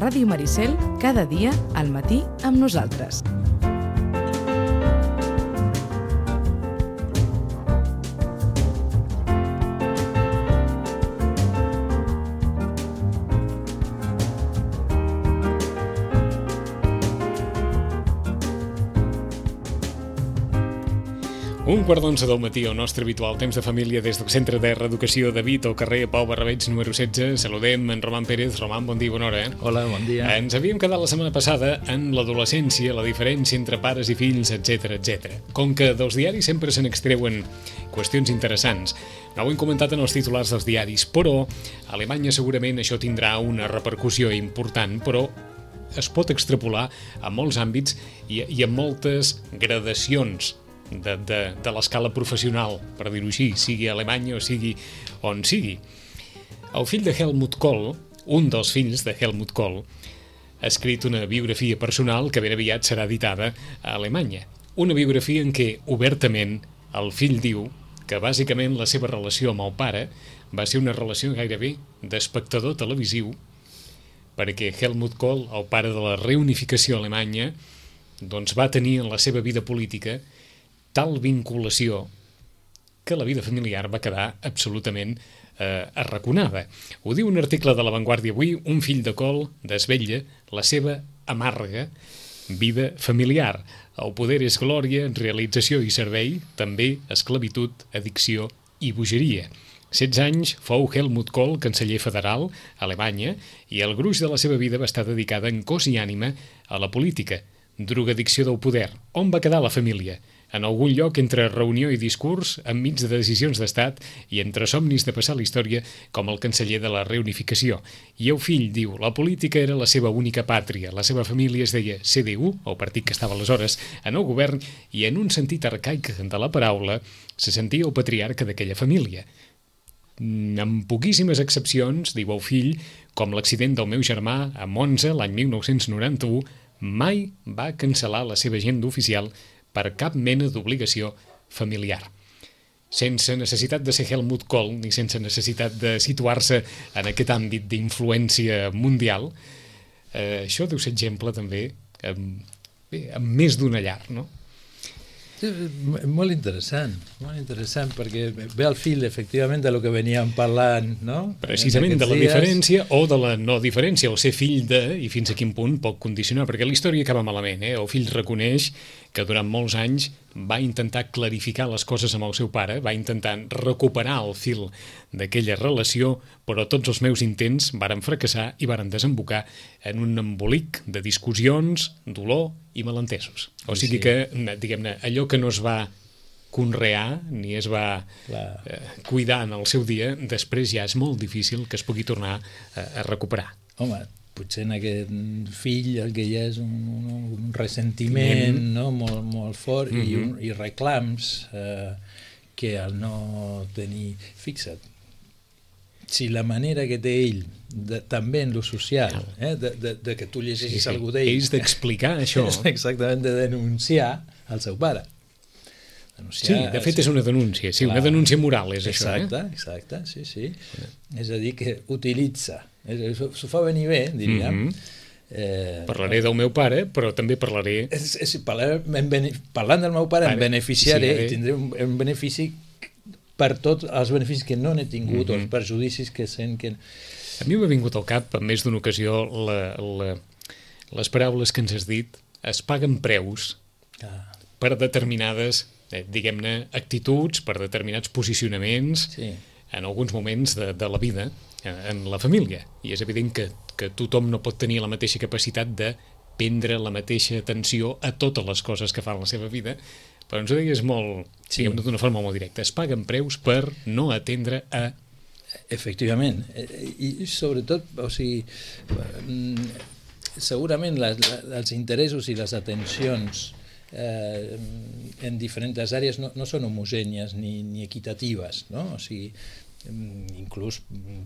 Ràdio Maricel, cada dia al matí amb nosaltres. Un quart d'11 del matí, el nostre habitual temps de família des del Centre de Reeducació de Vit, al carrer Pau Barrabeig, número 16. Saludem en Roman Pérez. Roman, bon dia, bona hora. Hola, bon dia. Ens havíem quedat la setmana passada en l'adolescència, la diferència entre pares i fills, etc etc. Com que dels diaris sempre se n'extreuen qüestions interessants, no ho hem comentat en els titulars dels diaris, però a Alemanya segurament això tindrà una repercussió important, però es pot extrapolar a molts àmbits i a moltes gradacions de l'escala professional, per dir-ho així, sigui a Alemanya o sigui on sigui. El fill de Helmut Kohl, un dels fills de Helmut Kohl, ha escrit una biografia personal que ben aviat serà editada a Alemanya. Una biografia en què, obertament, el fill diu que bàsicament la seva relació amb el pare va ser una relació gairebé d'espectador televisiu, perquè Helmut Kohl, el pare de la reunificació alemanya, doncs va tenir en la seva vida política tal vinculació que la vida familiar va quedar absolutament arraconada. Ho diu un article de La Vanguardia avui. Un fill de Kohl desvetlla la seva amarga vida familiar. El poder és glòria, realització i servei, també esclavitud, addicció i bogeria. 16 anys fou Helmut Kohl canceller federal a Alemanya i el gruix de la seva vida va estar dedicada en cos i ànima a la política. Drogadicció del poder. On va quedar la família? En algun lloc entre reunió i discurs, enmig de decisions d'estat i entre somnis de passar la història com el canceller de la reunificació. I el fill diu, la política era la seva única pàtria, la seva família es deia CDU, el partit que estava aleshores en el govern, i en un sentit arcaic de la paraula se sentia el patriarca d'aquella família. Amb poquíssimes excepcions, diu el fill, com l'accident del meu germà a Monza l'any 1991, mai va cancel·lar la seva agenda oficial per cap mena d'obligació familiar. Sense necessitat de ser Helmut Kohl ni sense necessitat de situar-se en aquest àmbit d'influència mundial, això deu ser exemple també amb més d'una llar, no? Molt interessant, perquè ve al fil, efectivament, de lo que veníem parlant, no? Precisament de la diferència o de la no diferència, o ser fill de, i fins a quin punt pot condicionar, perquè la història acaba malament, El fill reconeix que durant molts anys va intentar clarificar les coses amb el seu pare, va intentar recuperar el fil d'aquella relació, però tots els meus intents varen fracassar i varen desembocar en un embolic de discussions, dolor i malentesos. O sigui que, diguem-ne, allò que no es va conrear ni es va cuidar en el seu dia, després ja és molt difícil que es pugui tornar a recuperar. Home, potser en aquest fill el que hi ha és un ressentiment, no? molt fort i reclams que al no tenir... Fixa't, si la manera que té ell, també en lo social, de que tu llegeixis algú d'ell... És d'explicar això. És exactament de denunciar el seu pare. Sí, de fet és una denúncia, sí, una denúncia moral és això. Exacte, sí. És a dir, que utilitza, s'ho fa venir bé, diríem. Parlaré del meu pare, però també parlaré... Parlant del meu pare em beneficiaré i tindré un benefici per tots els beneficis que no n'he tingut o els perjudicis que sent que... A mi m'ha vingut al cap en més d'una ocasió les paraules que ens has dit. Es paguen preus per determinades, diguem-ne, actituds, per determinats posicionaments en alguns moments de la vida en la família. I és evident que tothom no pot tenir la mateixa capacitat de prendre la mateixa atenció a totes les coses que fa en la seva vida, però ens ho deies molt, diguem-ne, d'una forma molt directa. Es paguen preus per no atendre a... Efectivament. I sobretot, o sigui, segurament els interessos i les atencions en diferents àrees no són homogènies ni equitatives, no? O sigui, inclús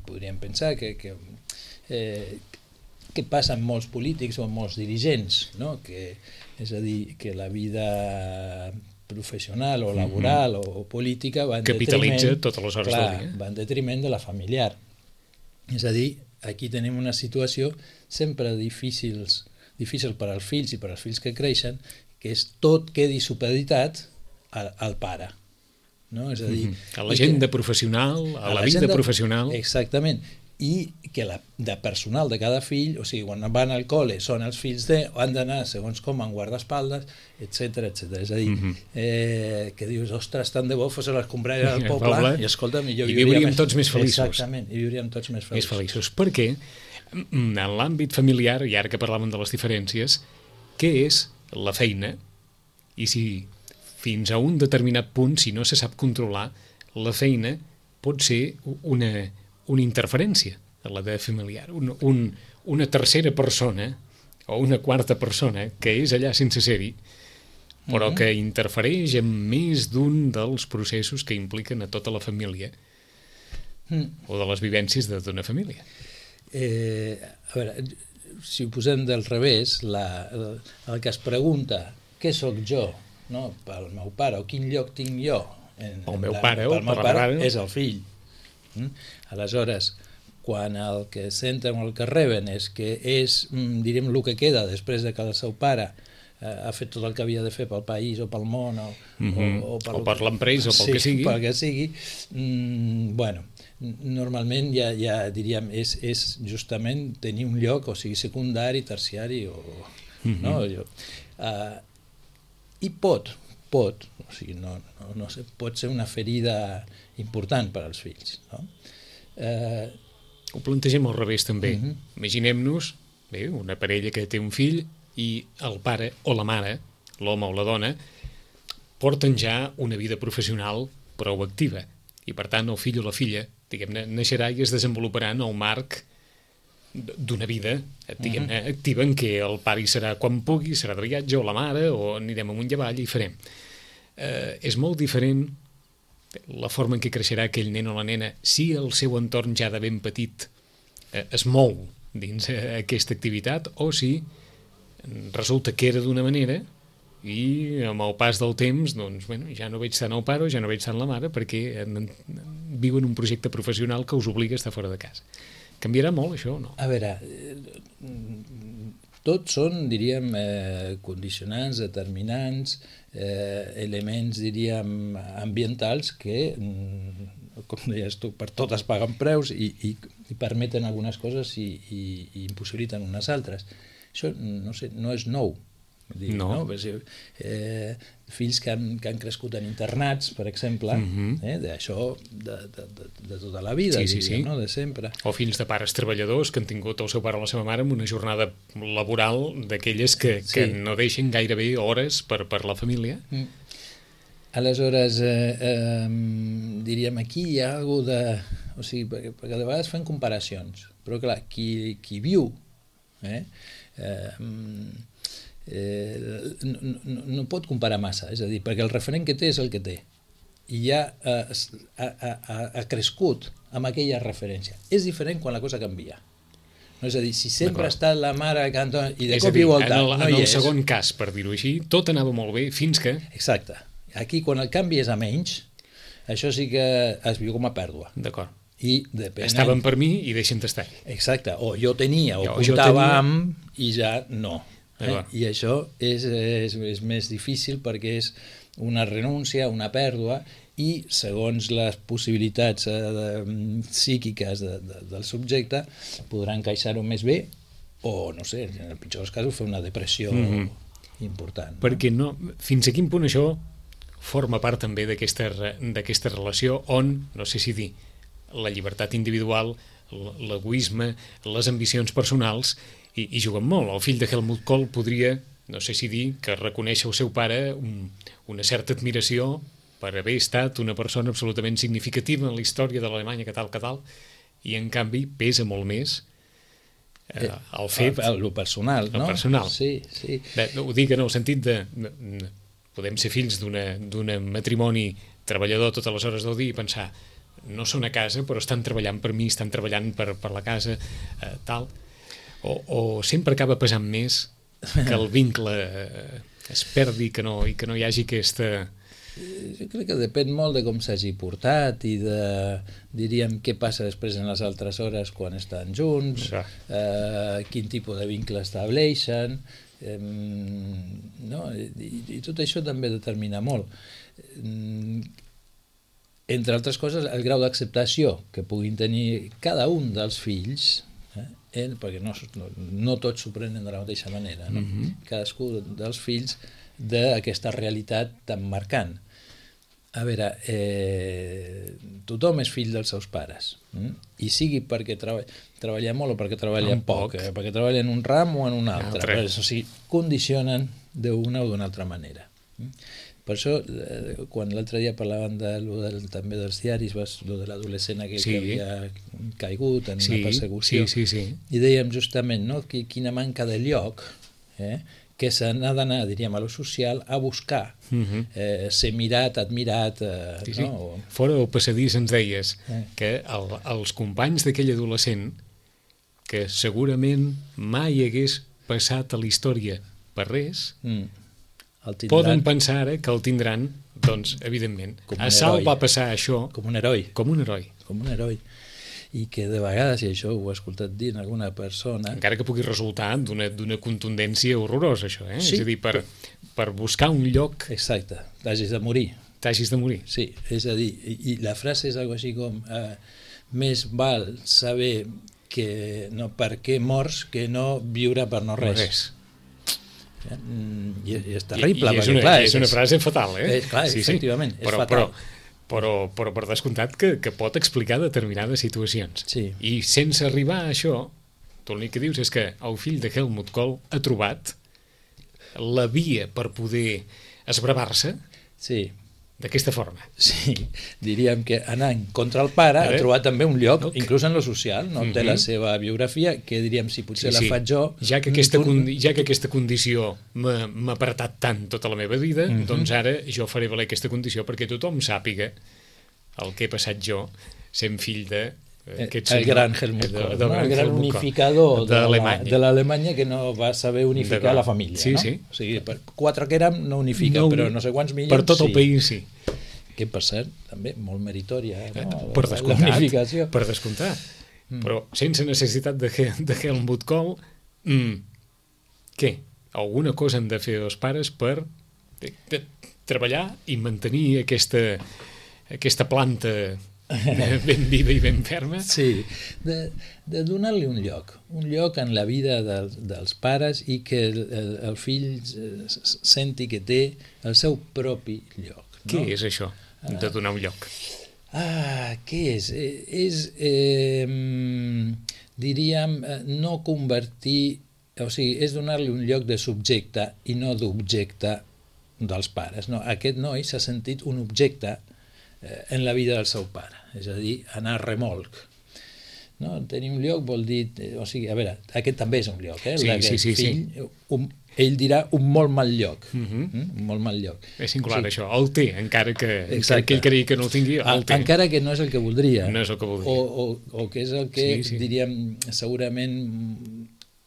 podríem pensar que passa amb molts polítics o amb molts dirigents, no? És a dir, que la vida professional o laboral o política va en capitalitza totes les hores del dia. Va en detriment de la familiar. És a dir, aquí tenim una situació sempre difícil per als fills i per als fills que creixen, que és tot quedi supeditat al pare. No? És a dir, a l'agenda professional, a la vida professional. Exactament. I que de personal de cada fill, o sigui, quan van al col·le són els fills han d'anar segons com en guardaespaldes, etc. És a dir, que dius, ostres, tant de bo fos a les combralles del poble, i escolta'm, i viuríem tots més feliços. Exactament, i viuríem tots més feliços. Perquè en l'àmbit familiar, i ara que parlàvem de les diferències, què és la feina? I si fins a un determinat punt, si no se sap controlar, la feina pot ser una interferència a la vida familiar, una tercera persona o una quarta persona que és allà sense ser-hi, però que interfereix en més d'un dels processos que impliquen a tota la família o de les vivències d'una família. A veure, si ho posem del revés, el que es pregunta què sóc jo, no, pel meu pare, o quin lloc tinc jo, el meu pare o per la mare, és el fill. Aleshores, quan el que senten o el que reben és que és, diríem, el que queda després de que el seu pare ha fet tot el que havia de fer pel país o pel món o per l'empresa o pel que sigui, pel que sigui, bueno, normalment ja diríem és justament tenir un lloc, o sigui, secundari, terciari no? I pot, o sigui, no sé, pot ser una ferida important per als fills, no? Ho plantegem al revés també. Imaginem-nos una parella que té un fill i el pare o la mare, l'home o la dona, porten ja una vida professional prou activa i per tant el fill o la filla, diguem-ne, naixerà i es desenvoluparà en el marc d'una vida, diguem-ne, activa en què el pare hi serà quan pugui, serà de viatge, o la mare, o anirem amunt i avall i farem. És molt diferent la forma en què creixerà aquell nen o la nena si el seu entorn ja de ben petit es mou dins aquesta activitat o si resulta que era d'una manera i amb el pas del temps doncs, bueno, ja no veig tant el pare o ja no veig tant la mare perquè viuen un projecte professional que us obliga a estar fora de casa. Canviarà molt això o no? A veure, tots són, diríem, condicionants, determinants, elements, diríem, ambientals que, com deies tu, per tot es paguen preus i permeten algunes coses i impossibiliten unes altres. Això, no sé, no és nou. No. Fills que han crescut en internats, per exemple, d'això de tota la vida, no? De sempre. O fills de pares treballadors que han tingut el seu pare o la seva mare amb una jornada laboral d'aquelles que no deixen gairebé hores per la família. Aleshores, diríem, aquí hi ha alguna de... O sigui, perquè de vegades fan comparacions, però clar, qui viu no pot comparar massa, és a dir, perquè el referent que té és el que té i ja ha crescut amb aquella referència. És diferent quan la cosa canvia. No, és a dir, si sempre ha estat la mare cantant i de cop i volta no hi és. En el segon cas, per dir-ho així, tot anava molt bé fins que... Exacte. Aquí, quan el canvi és a menys, això sí que es viu com a pèrdua. D'acord. I depenent... Estaven per mi i deixen d'estar. Exacte. O jo tenia, o comptava amb i ja no. I això és més difícil perquè és una renúncia, una pèrdua i segons les possibilitats psíquiques del subjecte podran encaixar-ho més bé o, no sé, en el pitjor dels casos fer una depressió important. Perquè fins a quin punt això forma part també d'aquesta relació on, no sé si dir, la llibertat individual, l'egoisme, les ambicions personals i juguen molt. El fill de Helmut Kohl podria, no sé si dir, que reconèixer al seu pare una certa admiració per haver estat una persona absolutament significativa en la història de l'Alemanya, que tal, i en canvi pesa molt més el fet... El personal, no? El personal. Sí. Ho dic en el sentit de... Podem ser fills d'un matrimoni treballador totes les hores del dia i pensar no són a casa però estan treballant per mi, estan treballant per la casa, tal... O sempre acaba pesant més que el vincle es perdi i que no hi hagi aquesta Jo crec que depèn molt de com s'hagi portat i de, diríem, què passa després en les altres hores quan estan junts, quin tipus de vincle estableixen, no? I tot això també determina molt. Entre altres coses, el grau d'acceptació que puguin tenir cada un dels fills, perquè no tots s'ho prenen de la mateixa manera, no? Cadascú dels fills d'aquesta realitat tan marcant. A veure, tothom és fill dels seus pares, i sigui perquè treballa molt o perquè treballa poc, perquè treballa en un ram o en un altre. O sigui, condicionen d'una o d'una altra manera. Per això, quan l'altre dia parlaven també dels diaris, de l'adolescent aquell que havia caigut en una persecució, i dèiem justament quina manca de lloc, que se n'ha d'anar, diríem, a lo social a buscar, ser mirat, admirat. Fora del passadís ens deies que els companys d'aquell adolescent, que segurament mai hagués passat a la història per res, poden pensar ara que el tindran, doncs, evidentment. A Sal va passar això com un heroi. Com un heroi. Com un heroi. I que de vegades, i això ho he escoltat dir en alguna persona... Encara que pugui resultar d'una contundència horrorosa, això, És a dir, per buscar un lloc... Exacte, t'hagis de morir. T'hagis de morir. Sí, és a dir, i la frase és algo així com més val saber que no per què mors que no viure per no res. I és terrible. És una frase fatal, Clar, efectivament, és fatal. Però per descomptat que pot explicar determinades situacions. I sense arribar a això, tu l'únic que dius és que el fill de Helmut Kohl ha trobat la via per poder esbravar-se d'aquesta forma. Sí, diríem que anant contra el pare ha trobat també un lloc, inclús en lo social, no? Té la seva biografia, que diríem, si potser la faig jo... Ja que aquesta condició m'ha apretat tant tota la meva vida, doncs ara jo faré valer aquesta condició perquè tothom sàpiga el que he passat jo sent fill de... el gran Helmut Kohl, el gran unificador de l'Alemanya que no va saber unificar la família. O sigui, quatre que érem no unifica, però no sé quants milions per tot el país, sí. Que, per cert, també molt meritòria, per descomptat, per descomptar. Però sense necessitat de Helmut Kohl, què? Alguna cosa han de fer els pares per treballar i mantenir aquesta planta ben viva i ben ferma. Sí, de donar-li un lloc en la vida dels pares i que el fill senti que té el seu propi lloc. Què és això, de donar un lloc? Què és? Diríem, no convertir, o sigui, és donar-li un lloc de subjecte i no d'objecte dels pares. Aquest noi s'ha sentit un objecte en la vida del seu pare, és a dir, anar a remolc. Tenir un lloc vol dir... O sigui, a veure, aquest també és un lloc, d'aquest fill. Ell dirà un molt mal lloc. Un molt mal lloc. És singular, això. El té, encara que ell cregui que no el tingui, el té. Encara que no és el que voldria. No és el que voldria. O que és el que, diríem, segurament...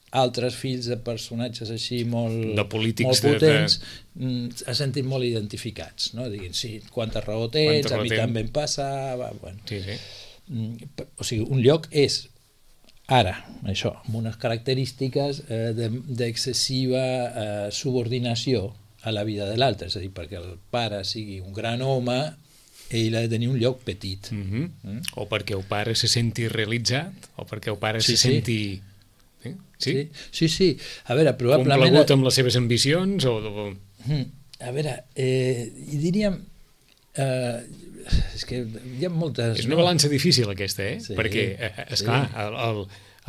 altres fills de personatges així molt potents s'ha sentit molt identificats, no? Diguin, sí, quanta raó tens, a mi també em passa... O sigui, un lloc és ara, això, amb unes característiques d'excessiva subordinació a la vida de l'altre, és a dir, perquè el pare sigui un gran home, ell ha de tenir un lloc petit. O perquè el pare se senti realitzat, o perquè el pare se senti... Sí. A veure, probablement... Complagut amb les seves ambicions o... A veure, i diríem... És que hi ha moltes... És una balança difícil aquesta, perquè, esclar,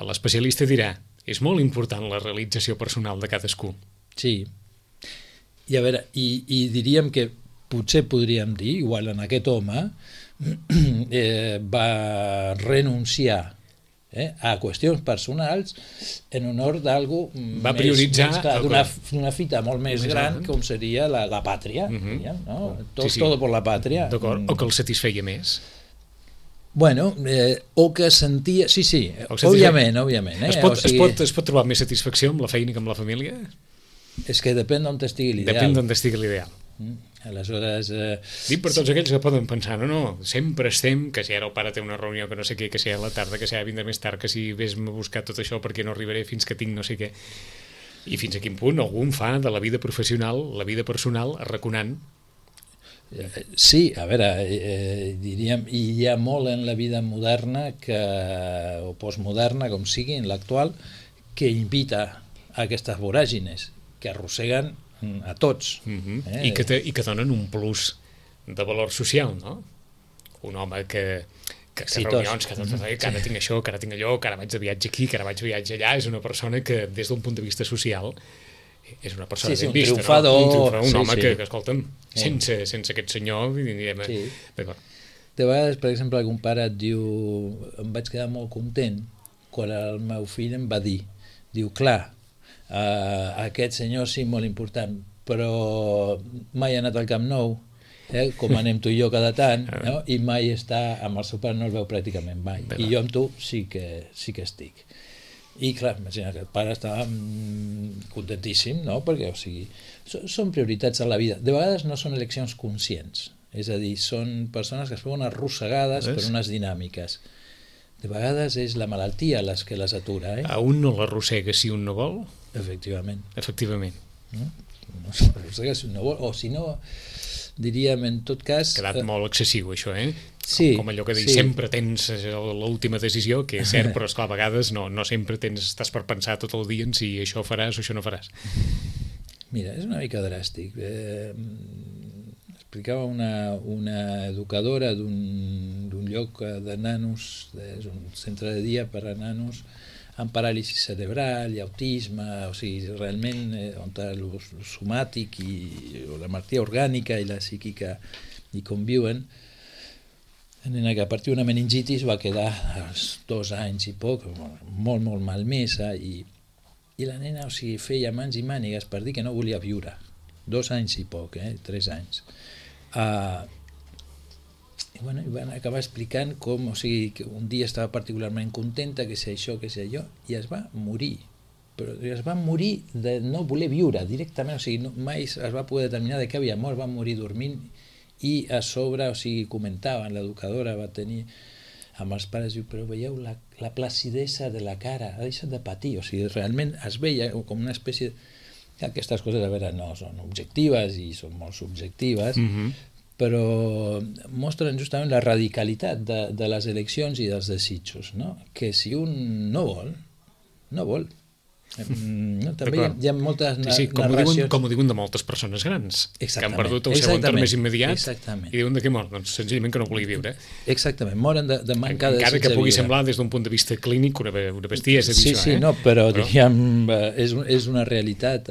l'especialista dirà és molt important la realització personal de cadascú. Sí. I a veure, i diríem que potser podríem dir, igual en aquest home, va renunciar a qüestions personals en honor d'algú va prioritzar d'una fita molt més gran com seria la pàtria, tot per la pàtria. O que el satisfeia més. Bueno, o que sentia... Sí, òbviament. Es pot trobar més satisfacció amb la feina que amb la família? És que depèn d'on estigui l'ideal. Depèn d'on estigui l'ideal. Aleshores... Dic per tots aquells que poden pensar, no, sempre estem, que si ara el pare té una reunió que no sé què, que si a la tarda, que si ara vindrà més tard, que si vés-me a buscar tot això perquè no arribaré fins que tinc no sé què. I fins a quin punt algú fa de la vida professional, la vida personal, arraconant. Sí, a veure, diríem, hi ha molt en la vida moderna o postmoderna, com sigui, en l'actual, que invita a aquestes voràgines que arrosseguen a tots. I que donen un plus de valor social, no? Un home que reunions, que ara tinc això, que ara tinc allò, que ara vaig de viatge aquí, que ara vaig de viatge allà, és una persona que des d'un punt de vista social és una persona ben vista, triomfador, un home que escolta'm, sense aquest senyor diríem, d'acord. De vegades, per exemple, algun pare et diu, em vaig quedar molt content quan el meu fill em va dir, diu, clar, aquest senyor sí, molt important, però mai ha anat al Camp Nou, com anem tu i jo cada tant, no? I mai està amb el seu pare, no el veu pràcticament mai, i jo amb tu sí que estic. I clar, imagina que el pare estava contentíssim, no? Perquè, o sigui, són prioritats a la vida. De vegades no són eleccions conscients, és a dir, són persones que es veuen arrossegades per unes dinàmiques. De vegades és la malaltia les que les atura. A un no l'arrossega si un no vol? Efectivament. No s'arrossega si un no vol, o si no, diríem en tot cas... Ha quedat molt excessiu això, Sí, com allò que dius, sempre tens l'última decisió, que és cert, però esclar, a vegades no sempre estàs per pensar tot el dia en si això faràs o això no faràs. Mira, és una mica dràstic. Explicava una educadora d'un lloc de nanos, és un centre de dia per a nanos amb paràlisi cerebral i autisme, o sigui, realment on el somàtic i la malaltia orgànica i la psíquica hi conviuen. La nena que a partir d'una meningitis va quedar als 2 anys i poc, molt, molt malmesa, i la nena, o sigui, feia mans i mànigues per dir que no volia viure. 2 anys i poc, 3 anys. I van acabar explicant com, o sigui, que un dia estava particularment contenta, que si això, que si allò, i es va morir. Però es va morir de no voler viure directament, o sigui, mai es va poder determinar de què havia mort, va morir dormint, i a sobre, o sigui, comentaven, l'educadora va tenir amb els pares, diu, però veieu la placidesa de la cara, ha deixat de patir, o sigui, realment es veia com una espècie... Aquestes coses, a veure, no són objectives i són molt subjectives, però mostren justament la radicalitat de les eleccions i dels desitjos, no? Que si un no vol, no vol. També hi ha moltes narracions... Com ho diuen de moltes persones grans, que han perdut el seu entorn més immediat i diuen de què mor? Doncs senzillament que no volia viure. Exactament, moren de manca de encara que pugui semblar des d'un punt de vista clínic una bestiesa dir això. Sí, no, però diríem, és una realitat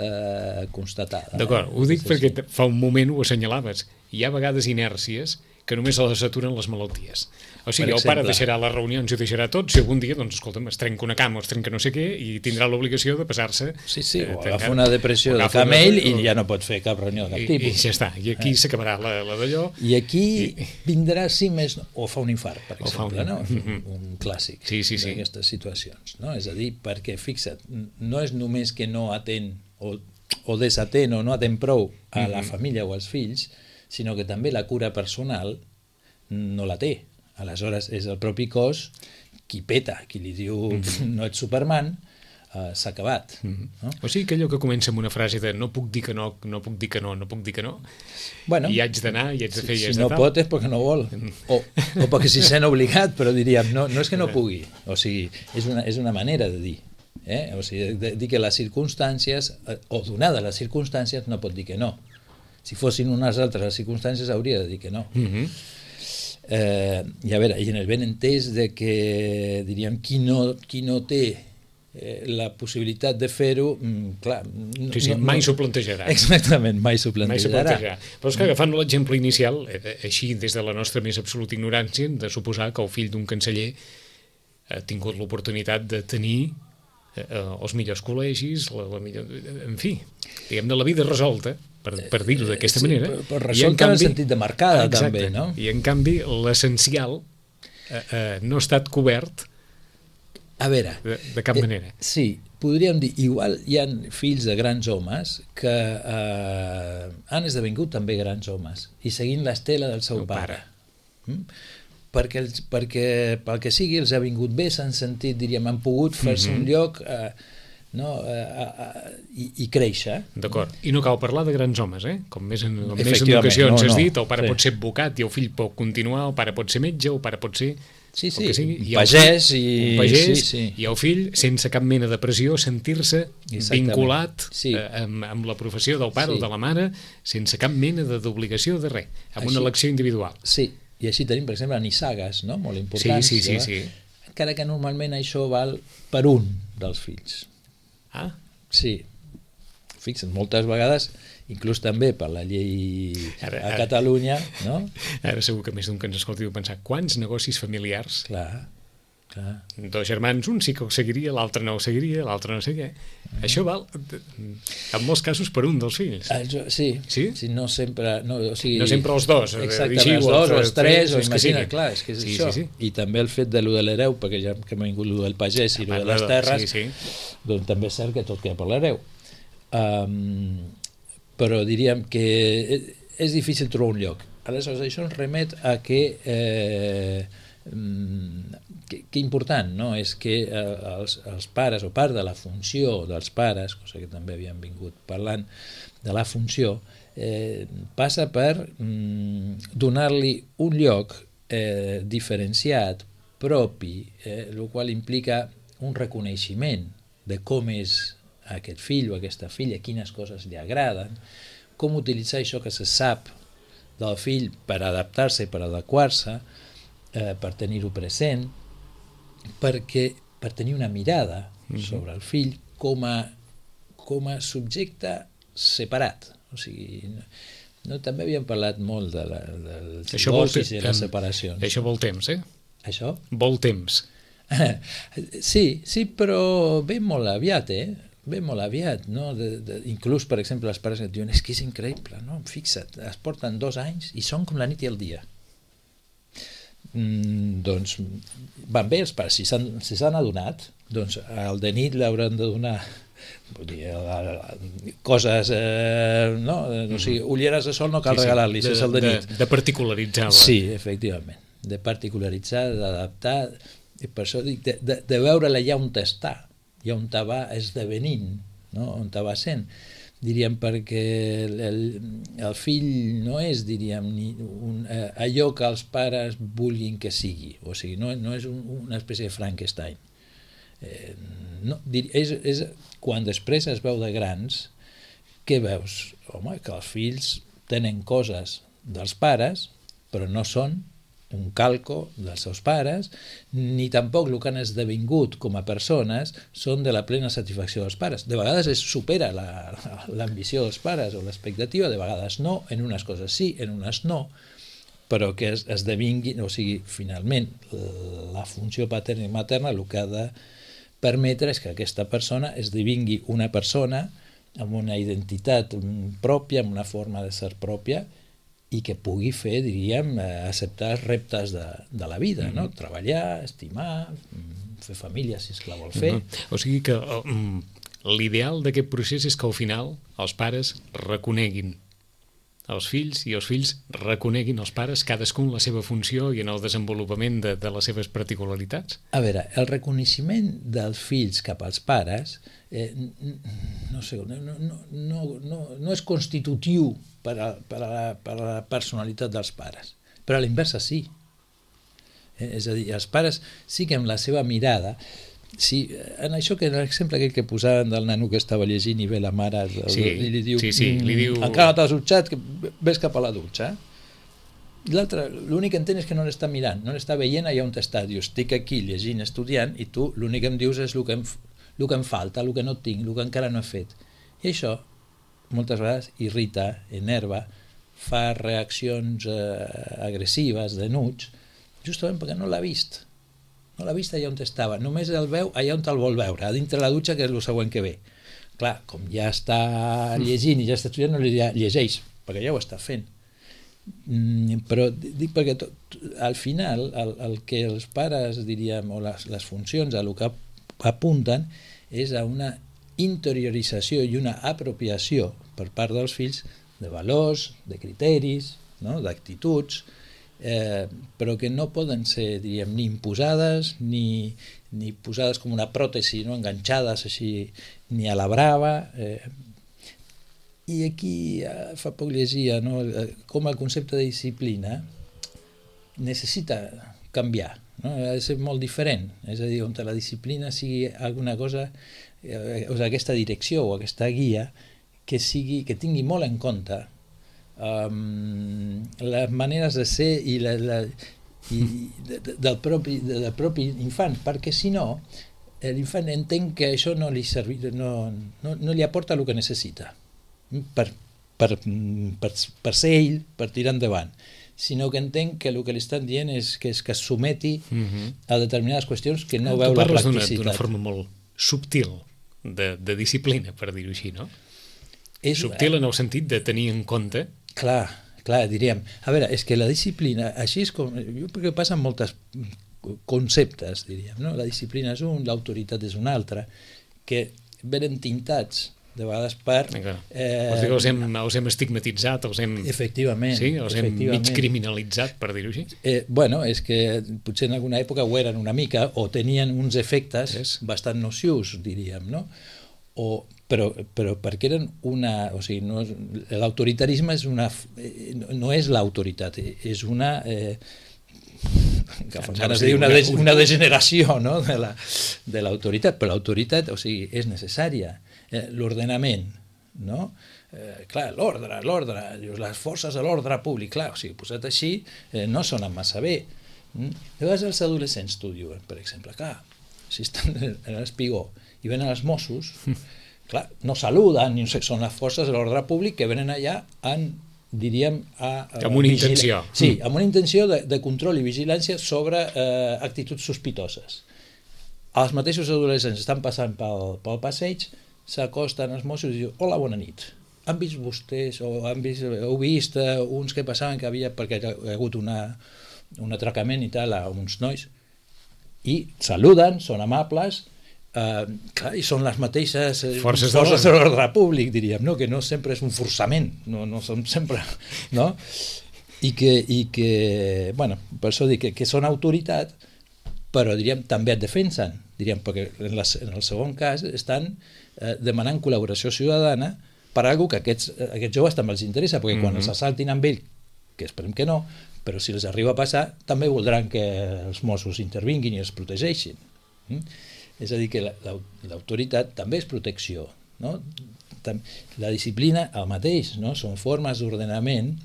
constatada. D'acord, ho dic perquè fa un moment ho assenyalaves. Hi ha a vegades inèrcies que només les aturen les malalties. O sigui, el pare deixarà les reunions i ho deixarà tot, si algun dia, doncs, escolta'm, es trenca una cama o es trenca no sé què i tindrà l'obligació de passar-se... Sí, o agafa una depressió de camell i ja no pot fer cap reunió de cap tipus. I ja està, i aquí s'acabarà la d'allò... I aquí vindrà, sí, més... O fa un infart, per exemple, no? Un clàssic d'aquestes situacions, no? És a dir, perquè, fixa't, no és només que no atén o desatén o no atén prou a la família o als fills, sinó que també la cura personal no la té. Aleshores és el propi cos qui peta, qui li diu no ets Superman, s'ha acabat. No? O sigui que allò que comença amb una frase de no puc dir que no, no puc dir que no, no puc dir que no, i haig d'anar, i haig de fer i haig de tal. Si no pot és perquè no vol, o perquè s'hi sent obligat, però diríem, no és que no pugui, o sigui, és una manera de dir. O sigui, de dir que les circumstàncies, o donades les circumstàncies, no pot dir que no. Si fossin unes altres les circumstàncies hauria de dir que no. I a veure, i en el ben entès de que, diríem, qui no té la possibilitat de fer-ho, clar... Mai s'ho plantejarà. Exactament, mai s'ho plantejarà. Però és que agafant l'exemple inicial, així des de la nostra més absoluta ignorància, hem de suposar que el fill d'un canceller ha tingut l'oportunitat de tenir els millors col·legis, en fi, diguem-ne, la vida resolta, per dir-ho d'aquesta manera. Però resolta en el sentit de marcada, també, no? I en canvi l'essencial no ha estat cobert a veure, de cap manera. Sí, podríem dir, igual hi ha fills de grans homes que han esdevingut també grans homes i seguint l'estela del seu pare. Perquè pel que sigui els ha vingut bé, s'han sentit, diríem, han pogut fer-se un lloc i créixer. D'acord. I no cal parlar de grans homes, com més en ocasions has dit, el pare pot ser advocat i el fill pot continuar, el pare pot ser metge, el pare pot ser... Sí, un pagès i el fill, sense cap mena de pressió, sentir-se vinculat amb la professió del pare o de la mare, sense cap mena d'obligació de res, amb una elecció individual. Sí, i així tenim, per exemple, nissagues, no? Molt importants. Sí. Encara que normalment això val per un dels fills. Ah? Sí. Fixa't, moltes vegades, inclús també per la llei a Catalunya, no? Ara segur que més d'un que ens escolti deu pensar quants negocis familiars. Clar. Dos germans, un sí que ho seguiria, l'altre no ho seguiria, l'altre no sé què. Això val, en molts casos, per un dels fills. Sí, no sempre... No sempre els dos. Exacte, els dos o els tres, o imagina, clar, és que és això. I també el fet de lo de l'hereu, perquè ja que m'ha vingut lo del pagès i lo de les terres, doncs també és cert que tot queda per l'hereu. Però diríem que és difícil trobar un lloc. Aleshores, això ens remet a que important, no? És que els pares, o part de la funció dels pares, cosa que també havíem vingut parlant de la funció, passa per donar-li un lloc diferenciat, propi, el qual implica un reconeixement de com és aquest fill o aquesta filla, quines coses li agraden, com utilitzar això que se sap del fill per adaptar-se, per adequar-se, per tenir-ho present, per tenir una mirada sobre el fill com a subjecte separat. O sigui, també havíem parlat molt dels divorcis i les separacions. Això vol temps, Això? Vol temps. Sí, però ve molt aviat, Ve molt aviat, no? Inclús, per exemple, els pares et diuen és que és increïble, no? Fixa't, es porten 2 anys i són com la nit i el dia. Doncs van bé els pares, si s'han adonat, doncs al de nit l'hauran de donar coses, no? O sigui, ulleres de sol no cal regalar-li, si és el de nit. De particularitzar. Sí, efectivament, de particularitzar, d'adaptar, i per això dic, de veure-la ja on està, ja on va esdevenint, no? On va sent, diríem, perquè el fill no és, diríem, allò que els pares vulguin que sigui, o sigui, no és una espècie de Frankenstein. És quan després es veu de grans, què veus? Home, que els fills tenen coses dels pares, però no són un calco dels seus pares, ni tampoc el que han esdevingut com a persones són de la plena satisfacció dels pares. De vegades es supera l'ambició dels pares o l'expectativa, de vegades no, en unes coses sí, en unes no, però que esdevinguin, o sigui, finalment, la funció paterna i materna el que ha de permetre és que aquesta persona esdevingui una persona amb una identitat pròpia, amb una forma de ser pròpia, i que pugui fer, diríem, acceptar els reptes de la vida, no? Treballar, estimar, fer família, si és que la vol fer. O sigui que l'ideal d'aquest procés és que al final els pares reconeguin els fills i els fills reconeguin els pares, cadascun la seva funció i en el desenvolupament de les seves particularitats. A veure, el reconeixement dels fills cap als pares no sé, no és constitutiu per a la personalitat dels pares, però a l'inversa sí. És a dir, els pares sí que amb la seva mirada, sí, en això que l'exemple aquell que posaven del nano que estava llegint i ve la mare i li diu, encara no t'has dutxat, ves cap a la dutxa. L'altre, l'únic que entén és que no l'està mirant, no l'està veient allà on està. Diu, estic aquí llegint, estudiant, i tu l'únic que em dius és el que em falta, el que no tinc, el que encara no he fet. I això moltes vegades irrita, enerva, fa reaccions agressives, denuts, justament perquè no l'ha vist. No l'ha vist allà on estava, només el veu allà on el vol veure, a dintre la dutxa, que és el següent que ve. Clar, com ja està llegint i ja està estudiant, no li dirà llegeix, perquè ja ho està fent. Però dic perquè al final el que els pares, diríem, o les funcions a el que apunten és a una interiorització i una apropiació per part dels fills de valors, de criteris, no? D'actituds, però que no poden ser, diríem, ni imposades ni posades com una pròtesi, no? Enganxades així, ni a la brava. I aquí fa poc llegia, no? Com el concepte de disciplina necessita canviar, no? Ha de ser molt diferent, és a dir, on la disciplina sigui alguna cosa, o sigui, aquesta direcció o aquesta guia que tingui molt en compte les maneres de ser i del propi infant, perquè si no l'infant entén que això no li aporta el que necessita per ser ell, per tirar endavant, sinó que entén que el que li estan dient és que es someti a determinades qüestions que no veu la practicitat. D'una forma molt subtil de disciplina, per dir-ho així, no? Subtil en el sentit de tenir en compte. Clar, diríem. A veure, és que la disciplina, així és com... Jo crec que passen moltes conceptes, diríem, no? La disciplina és un, l'autoritat és un altre, que venen tintats de vegades per... Els hem estigmatitzat, els hem... Efectivament. Sí, els hem mig criminalitzat, per dir-ho així. Bueno, és que potser en alguna època ho eren una mica, o tenien uns efectes bastant nocius, diríem, no? Però perquè eren una... O sigui, l'autoritarisme no és l'autoritat, és una... una degeneració, no? de l'autoritat, però l'autoritat, o sigui, és necessària. L'ordenament, no? Clar, l'ordre, les forces de l'ordre públic, clar, o sigui, posat així, no sonen massa bé. De vegades els adolescents t'ho diuen, per exemple, clar, si estan en l'espigó i venen els Mossos, clar, no saluden, són les forces de l'ordre públic que venen allà diríem... amb una intenció. Sí, amb una intenció de control i vigilància sobre actituds sospitoses. Els mateixos adolescents estan passant pel passeig, s'acosten als Mossos i diuen: hola, bona nit. Han vist vostès o heu vist uns que passaven que havia, perquè hi ha hagut un atracament i tal a uns nois, i saluden, són amables, clar, i són les mateixes forces de l'ordre públic, diríem, no? Que no sempre és un forçament, no són sempre, no? I que bueno, per això dic que són autoritat, però diríem també et defensen, diríem, perquè en el segon cas estan demanant col·laboració ciutadana per a alguna que aquests joves també els interessa, perquè quan els assaltin amb ell, que esperem que no, però si els arriba a passar, també voldran que els Mossos intervinguin i els protegeixin. És a dir, que l'autoritat també és protecció, no? La disciplina, el mateix, no? Són formes d'ordenament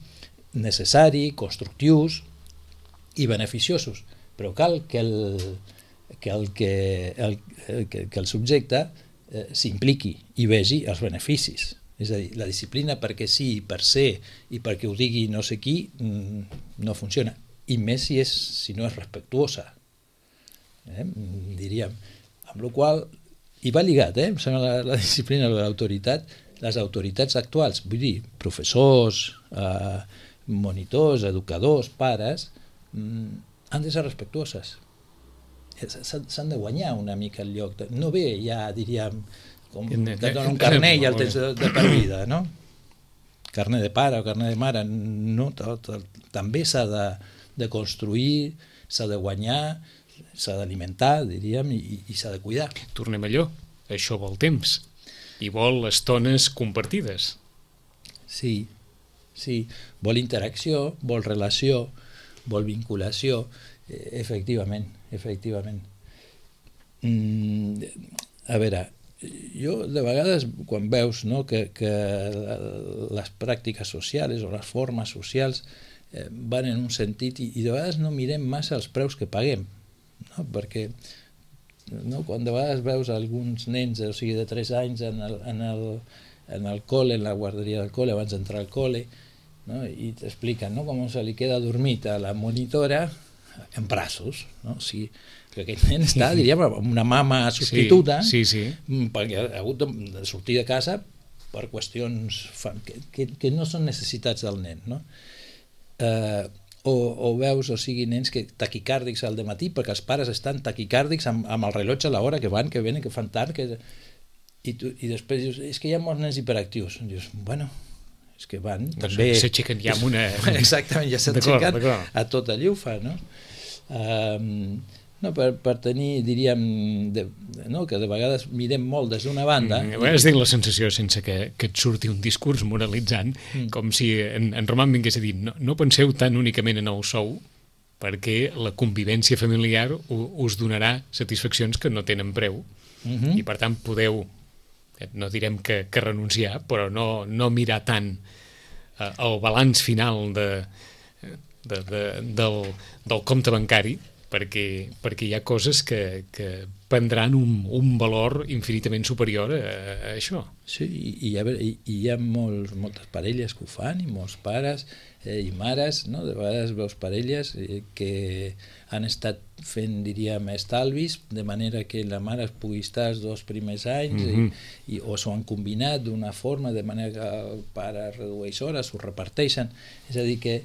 necessari, constructius i beneficiosos, però cal que el subjecte s'impliqui i vegi els beneficis. És a dir, la disciplina perquè sí, per ser i perquè ho digui no sé qui, no funciona, i més si no és respectuosa, diríem. Amb la qual cosa, i va lligat, em sembla, la disciplina de l'autoritat, les autoritats actuals, vull dir, professors, monitors, educadors, pares, han de ser respectuoses. S'han de guanyar una mica el lloc. No ve ja, diríem, com que et donen un carnet i el tens de per vida, no? Carnet de pare o carnet de mare, no, també s'ha de construir, s'ha de guanyar, s'ha d'alimentar, diríem, i s'ha de cuidar. Tornem a allò, això vol temps i vol estones compartides. Sí, vol interacció, vol relació, vol vinculació, efectivament. A veure, jo de vegades quan veus, no, que les pràctiques socials o les formes socials van en un sentit i de vegades no mirem massa els preus que paguem, no? Perquè quan de vegades veus alguns nens, o sigui, de 3 anys en el col·le, en la guarderia del col·le, abans d'entrar al col·le, no? I t'expliquen, no, com se li queda dormit a la monitora en braços, no? O sigui, que aquest nen està, diríem, amb una mama substituta, perquè ha hagut de sortir de casa per qüestions que no són necessitats del nen, no? o veus, o sigui, nens que taquicàrdics al dematí perquè els pares estan taquicàrdics amb el rellotge a l'hora que van, que venen, que fan tard, i després dius, és que hi ha molts nens hiperactius. I dius, bueno, és que van també... S'aixequen ja amb una... Exactament, ja s'aixequen a tota llufa, no? No, per tenir, diríem, no, que de vegades mirem molt des d'una banda... A vegades tinc la sensació, sense que et surti un discurs moralitzant, com si en Roman vingués a dir no penseu tan únicament en el sou, perquè la convivència familiar us donarà satisfaccions que no tenen preu, i per tant podeu, no direm que renunciar, però no mirar tant el balanç final del compte bancari, perquè hi ha coses que prendran un valor infinitament superior a això. Sí, i hi ha moltes parelles que ho fan, i molts pares i mares, no? De vegades veus parelles que han estat fent, diríem, estalvis, de manera que la mare pugui estar els 2 primers anys, o s'ho han combinat d'una forma, de manera que el pare redueix hores, ho reparteixen. És a dir, que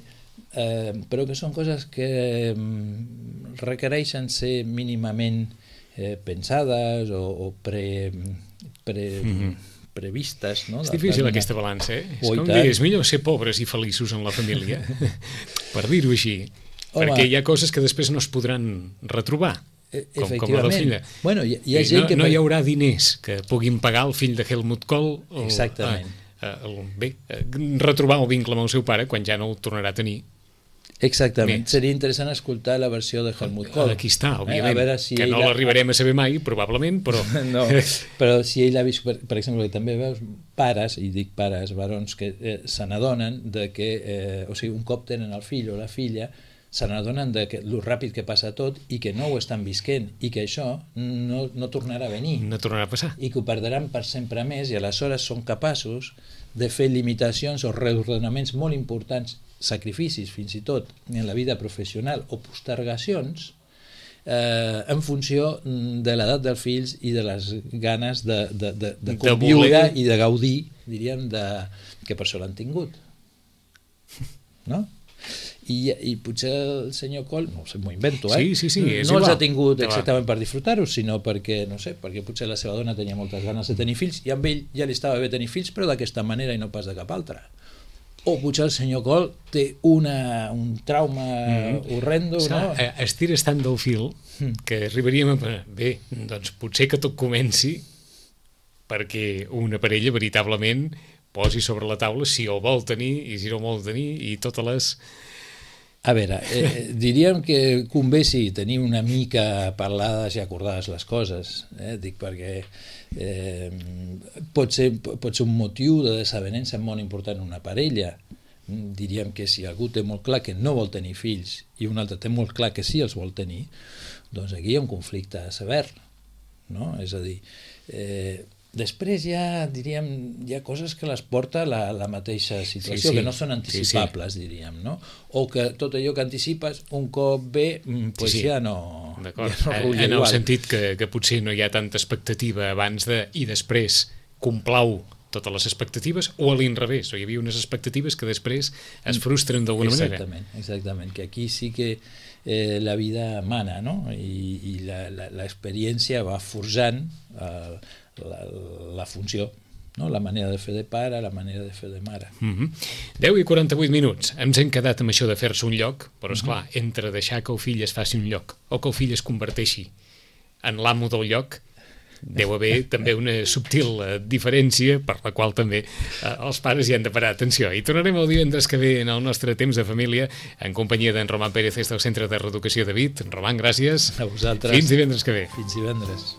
però que són coses que requereixen ser mínimament pensades o previstes, no? És difícil aquesta balança, És com dir, és millor ser pobres i feliços en la família, per dir-ho així, perquè hi ha coses que després no es podran retrobar, com la del fill. Bueno, hi ha gent que... No hi haurà diners que puguin pagar el fill de Helmut Kohl retrobar el vincle amb el seu pare quan ja no el tornarà a tenir. Exactament. Seria interessant escoltar la versió de Helmut Kohl. Aquí està, òbviament, que no l'arribarem a saber mai, probablement, però... No, però si ell ha vist, per exemple, que també veus pares, i dic pares, varons, que se n'adonen de que, o sigui, un cop tenen el fill o la filla, se n'adonen de lo ràpid que passa tot i que no ho estan visquent i que això no tornarà a venir. No tornarà a passar. I que ho perdran per sempre més, i aleshores són capaços de fer limitacions o reordenaments molt importants, sacrificis fins i tot en la vida professional o postergacions en funció de l'edat dels fills i de les ganes de conviure i de gaudir, diríem, que per això l'han tingut, no? I potser el senyor Kohl, no sé, m'ho invento, sí, no els ha tingut exactament per disfrutar-ho, sinó perquè, no sé, perquè potser la seva dona tenia moltes ganes de tenir fills i amb ell ja li estava bé tenir fills, però d'aquesta manera i no pas de cap altra. O potser el senyor Kohl té un trauma horrendo, no? Estires tant del fil que arribaríem a... Bé, doncs potser que tot comenci perquè una parella veritablement posi sobre la taula si el vol tenir i si no el vol tenir i totes les... A veure, diríem que convé tenir una mica parlades i acordades les coses, dic perquè pot ser un motiu de desavenença molt important en una parella. Diríem que si algú té molt clar que no vol tenir fills i un altre té molt clar que sí els vol tenir, doncs aquí hi ha un conflicte sever, no? És a dir, després diríem, hi ha coses que les porta la mateixa situació, que no són anticipables, diríem, no? O que tot allò que anticipes, un cop ve, ja no... D'acord, en el sentit que potser no hi ha tanta expectativa abans i després complau totes les expectatives, o a l'inrevés, o hi havia unes expectatives que després es frustren d'alguna manera. Exactament, que aquí sí que la vida mana, no? I l'experiència va forjant la funció, no? La manera de fer de pare, la manera de fer de mare. 10:48 minuts. Ens hem quedat amb això de fer-se un lloc, però esclar, entre deixar que el fill es faci un lloc o que el fill es converteixi en l'amo del lloc, deu haver també una subtil diferència per la qual també els pares hi han de parar atenció. I tornarem el divendres que ve en el nostre temps de família en companyia d'en Roman Pérez des del Centre de Reeducació de Vic. Roman, gràcies. A vosaltres. Fins divendres que ve. Fins divendres.